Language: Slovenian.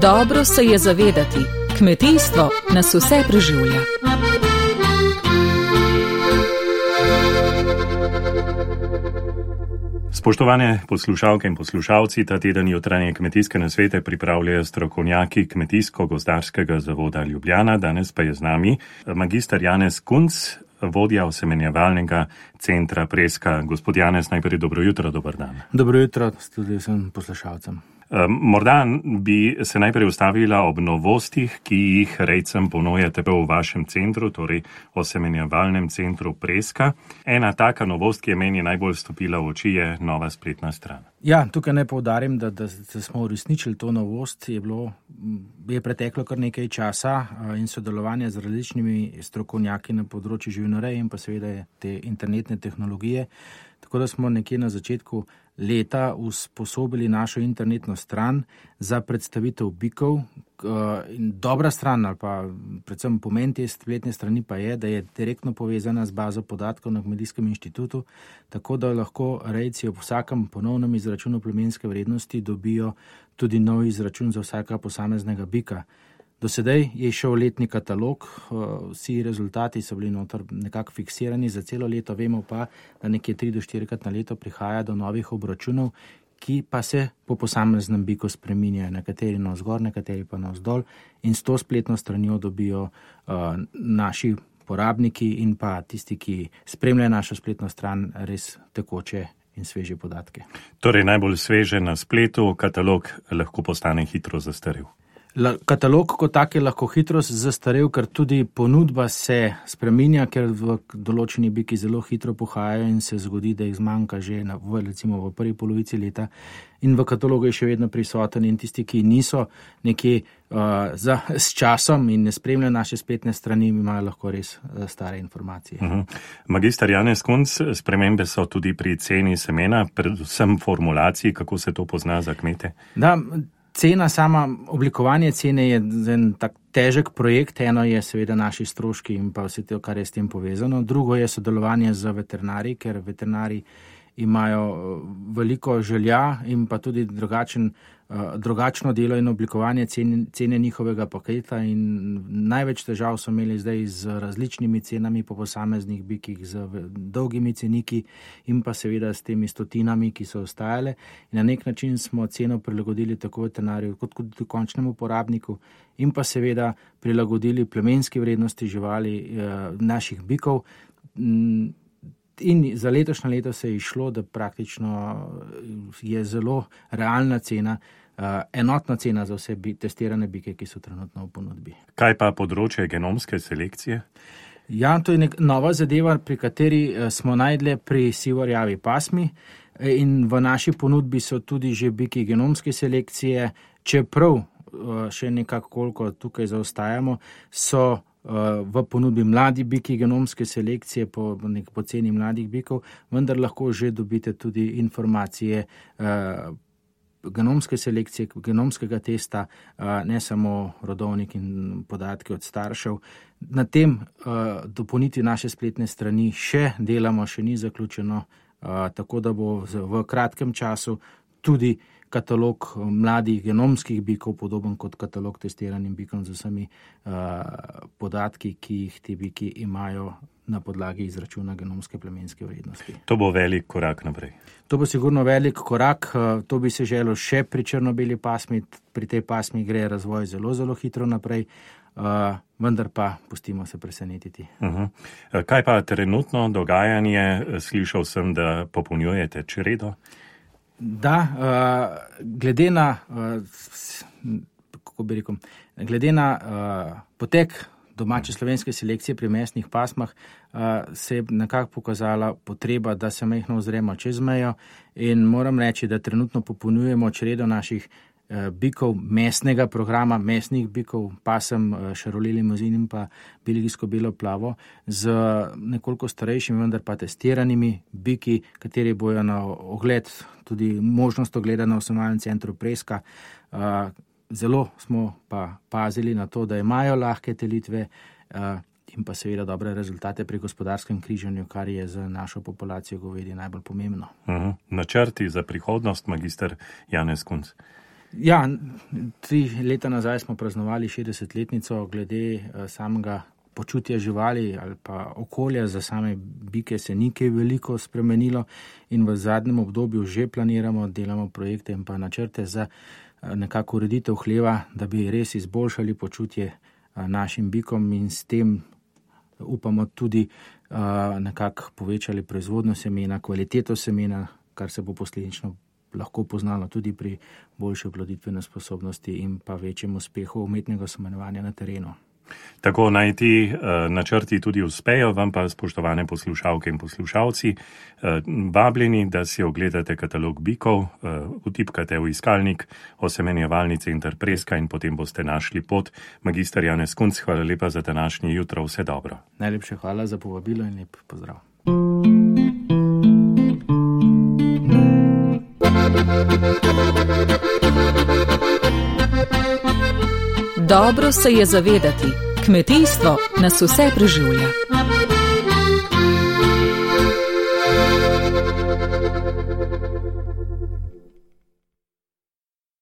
Dobro se je zavedati, kmetijstvo nas vse preživlja. Spoštovane poslušalke in poslušalci, ta teden jutranje kmetijske nasvete pripravljajo strokovnjaki Kmetijsko-gozdarskega zavoda Ljubljana. Danes pa je z nami magister Janez Kunc, vodja osemenjevalnega centra Preska. Gospod Janez, najprej dobro jutro, dober dan. Dobro jutro tudi vsem poslušalcem. Morda bi se najprej ustavila ob novostih, ki jih rejcem ponujate v vašem centru, torej osemenjevalnem centru Preska. Ena taka novost, ki je meni najbolj stopila v oči, je nova spletna stran. Ja, tukaj naj poudarim, da smo uresničili to novost, je preteklo kar nekaj časa in sodelovanje z različnimi strokovnjaki na področju živinoreje in pa seveda te internetne tehnologije. Tako da smo nekje na začetku leta usposobili našo internetno stran za predstavitev bikov. In dobra stran ali pa predvsem pomen te spletne strani pa je, da je direktno povezana z bazo podatkov na Kmetijskem inštitutu, tako da lahko rejci ob vsakem ponovnem izračunu plemenske vrednosti dobijo tudi nov izračun za vsaka posameznega bika. Do sedaj je šel letni katalog, vsi rezultati so bili noter nekako fiksirani za celo leto, vemo pa, da nekje 3 do 4krat na leto prihaja do novih obračunov, ki pa se po posameznem biku spreminjajo, nekateri navzgor, nekateri pa navzdol, in s to spletno stranjo dobijo naši porabniki in pa tisti, ki spremljajo našo spletno stran, res tekoče in sveže podatke. Torej najbolj sveže na spletu, katalog lahko postane hitro zastarel. Katalog kot tak je lahko hitro zastarel, ker tudi ponudba se spreminja, ker v določeni biki zelo hitro pohajajo in se zgodi, da jih zmanjka že recimo v prvi polovici leta. In v katalogu je še vedno prisoten in tisti, ki niso nekje s časom in ne spremljajo naše spletne strani, imajo lahko res stare informacije. Magister Janez Kunc, spremembe so tudi pri ceni semena, predvsem formulaciji, kako se to pozna za kmete? Da, cena, oblikovanje cene je en tak težek projekt. Eno je seveda naši stroški in pa vse to, kar je s tem povezano. Drugo je sodelovanje z veterinarji, ker veterinarji imajo veliko želja in pa tudi drugačno delo in oblikovanje cene njihovega paketa, in največ težav so imeli zdaj z različnimi cenami po posameznih bikih, z dolgimi ceniki in pa seveda s temi stotinami, ki so ostajale. In na nek način smo ceno prilagodili tako veterinarju kot tudi končnemu uporabniku in pa seveda prilagodili plemenski vrednosti živali naših bikov. In za letošnje leto se je išlo, da praktično je zelo realna cena, enotna cena za vse testirane bike, ki so trenutno v ponudbi. Kaj pa področje genomske selekcije? Ja, to je nova zadeva, pri kateri smo najdli pri sivorjavi pasmi, in v naši ponudbi so tudi že biki genomske selekcije, čeprav še nekako koliko tukaj zaostajamo, so v ponudbi mladi biki genomske selekcije po ceni mladih bikov, vendar lahko že dobite tudi informacije genomske selekcije, genomskega testa, ne samo rodovnik in podatki od staršev. Na tem dopolniti naše spletne strani še delamo, še ni zaključeno, tako da bo v kratkem času tudi katalog mladih genomskih bikov podoben kot katalog testiranim bikom z vsemi podatki, ki jih ti biki imajo na podlagi izračuna genomske plemenske vrednosti. To bo velik korak naprej. To bo sigurno velik korak, to bi se želelo še pri črno-beli pasmi. Pri tej pasmi gre razvoj zelo, zelo hitro naprej, vendar pa pustimo se presenetiti. Kaj pa trenutno dogajanje? Slišal sem, da popolnjujete čredo. Da, glede na potek domače slovenske selekcije pri mesnih pasmah se je nekako pokazala potreba, da se majhno ozremo čez mejo, in moram reči, da trenutno popolnjujemo čredo naših bikov mesnega programa, mesnih bikov, pasem Charolais Limousin in pa belgijsko belo plavo, z nekoliko starejšimi, vendar pa testiranimi biki, kateri bojo na ogled, tudi možnost ogleda na osemenjevalnem centru Preska. Zelo smo pa pazili na to, da imajo lahke telitve in pa seveda dobre rezultate pri gospodarskem križanju, kar je za našo populacijo govedi najbolj pomembno. Načrti za prihodnost, magister Janez Kunc? Ja, 3 leta nazaj smo praznovali 60-letnico glede samega počutja živali ali pa okolja za same bike se ni kaj veliko spremenilo in v zadnjem obdobju že planiramo, delamo projekte in pa načrte za nekako ureditev hleva, da bi res izboljšali počutje našim bikom in s tem upamo tudi nekako povečali proizvodnjo semena, kvaliteto semena, kar se bo posledično lahko poznalo tudi pri boljši oploditveni sposobnosti in pa večjem uspehu umetnega semenovanja na terenu. Tako naj ti načrti tudi uspejo, vam pa, spoštovane poslušalke in poslušalci, vabljeni, da si ogledate katalog bikov, vtipkate v iskalnik osemenjevalnice Interpreska in potem boste našli pot. Magister Janez Kunc, hvala lepa za današnje jutro, vse dobro. Najlepše hvala za povabilo in lep pozdrav. Dobro se je zavedati, kmetijstvo nas vse preživlja.